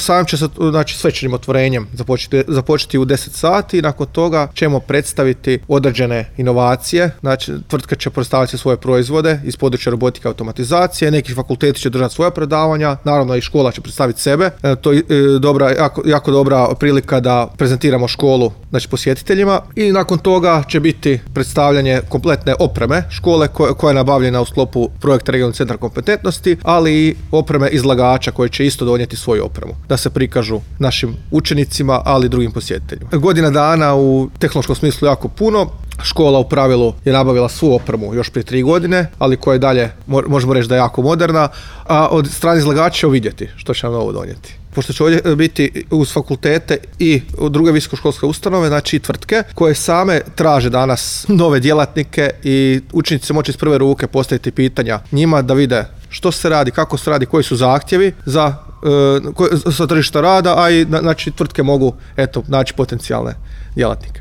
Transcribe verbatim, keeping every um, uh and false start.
Sam će se, znači, svečanim otvorenjem započeti, započeti u deset sati i nakon toga ćemo predstaviti određene inovacije. Znači, tvrtka će predstaviti svoje proizvode iz područja robotike i automatizacije, neki fakulteti će držati svoja predavanja, naravno i škola će predstaviti sebe. E, to je e, dobra, jako, jako dobra prilika da prezentiramo školu, znači, posjetiteljima, i nakon toga će biti predstavljanje kompletne opreme škole koja, koja je nabavljena u sklopu projekta Regionalni centar kompetentnosti, ali i opreme izlagača koji će isto donijeti svoju opremu da se prikažu našim učenicima, ali i drugim posjetiteljima. Godina dana u tehnološkom smislu jako puno. Škola u pravilu je nabavila svu opremu još prije tri godine, ali koja je dalje, možemo reći da je jako moderna, a od strane izlagača ćemo vidjeti što će nam novo donijeti. Pošto će ovdje biti uz fakultete i druge visokoškolske ustanove, znači i tvrtke, koje same traže danas nove djelatnike i učenici će moći iz prve ruke postaviti pitanja njima da vide što se radi, kako se radi, koji su zahtjevi za sa tržišta rada, a i znači tvrtke mogu eto naći potencijalne djelatnike.